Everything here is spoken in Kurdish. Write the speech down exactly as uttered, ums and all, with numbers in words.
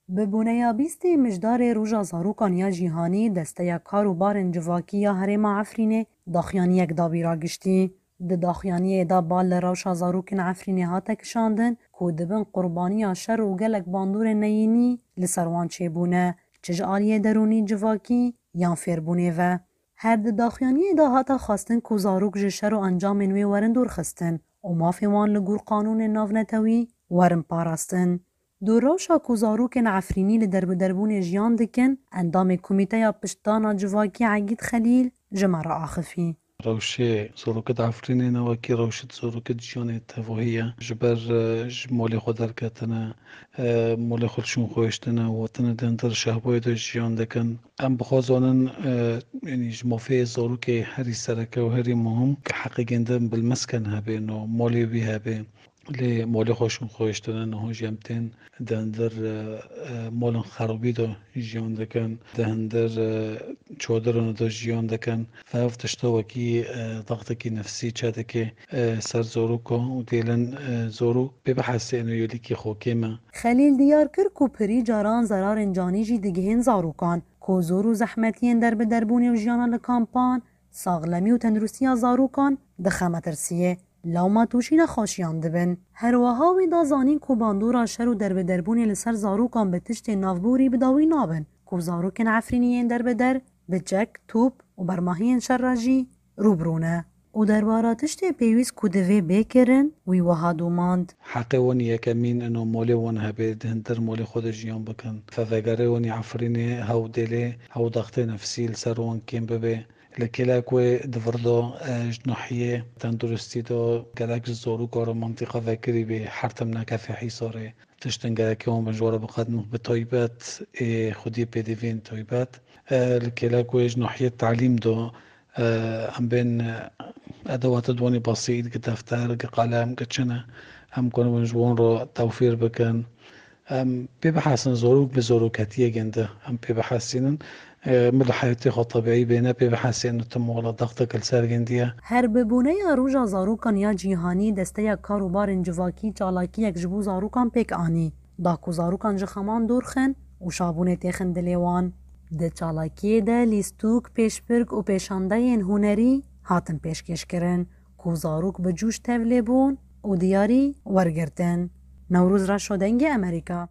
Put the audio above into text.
Bi boneya bîstê Mijdarê Roja Zarokan ya Cîhanî, Desteya Kar û Barên Civakî ya Herêma Efrînê daxuyaniyek dabî ragiştî. Di daxuyaniyê de bal li rewşa zarokên Efrînê hate kişandin ku dibin qurbaniya şer û gelek bandorên neyînî li ser wan çêbûne, çi ji aliyê derûnî, civakî yan fêrbûnê ve. Her di daxuyaniyê de hate xwestin ku zarok ji şer û encamên wê werin dûrxistin û mafê wan li gor qanûnên navnetewî werin parastin. Di rewşa ku zarokên Efrînî li derbiderbûnê jiyan dikin, endamê Komîteya Piştdana Civakî Egîd Xelîl ji me re axifî. Rewşê zarokê di Efrînê ne wekî rewşê zarokê di jiyanê tevahî ye. Ji ber, e, ji malê xwe derketine, e, malê xwe li şûn xwe hiştine û hatine di hundir şehbayê de jiyan dikin. Em bi xwe zanin, e, yanî ji mafê zarokê herî sereke û herî muhim, ke heqê gêndin bilmezken hebe, no malê wî hebe. Lê malê xwe şûn xwe hiştine, niha jî em tên di hundir, e, e, malên xerabî de jiyan dikin, di hundir, e, çadiran de jiyan dikin. Ev tişta wekî, e, daxtekî nefsî çêdike, e, ser zaroka û dêlin, e, zarok pê bihesê eno yêlîkî xwe kêm e. Xelîl diyar kir ku pirî caran zerarên canî jî digihên zarokan, ku zor û zehmetiyên derbiderbûnê û jiyana li kampan, saxlemî û tenduristiya zarokan dixe metirsiyê. Lewma tûşî nexweşiyan dibin. Her wiha wî da zanîn ku bandora şer û derbiderbûnê li ser zarokan bi tiştên navborî bi dawî nabin, ku zarokên Efrînî yên derbeder bi çek, top û bermahiyên şer re jî rû bi rû ne. Û derbara tiştê pêwîst ku divê bê kirin, wî wiha domand. Heqê wan yekemîn ino malê wan hebe, di hundir malê xwe de jiyan bikin. Fevegerê wan yê Efrînê hew dêlê, hew daxtê nefsî li ser wan kêm bibe. Li kêlek wê di vir de, e, ji nahiyê tenduristî de gelek ji zaroka re mintîqa vekirî bê, her tim nekefê Hîsarê. Tiştên gerekê wan bin ji we re biqedin, bi taybet ê xwediyê pêdiviyên taybet. E, li kêlek wê ji nahiyê talîm de, e, em bên, e, edewata diwanî besît, gi defter, gi qalem, gi çi ne, em karibin ji wan re tewfîr bikin. Em pê bihesin, zorok bi zoroketiyê gêndi. Em pê bihesînin, e, min li heyatê xwe tebîî bêne, pê bihesînin tu mola daxtek li ser gêndiye. Her bi boneya Roja Zarokan ya Cîhanî, Desteya Kar û Barên Civakî çalakiyek ji bo zarokan pêk anî. Da ku zarokan ji xeman dûr xin û şabûnê têxin dilê wan. Di çalakiyê de lîstûk, pêşbirk û pêşandeyên hunerî hatin pêşkêşkirin ku zarok bi cûş tevlê bûn û diyarî wergirtin. Newroz Reşo, Dengê Amerîka.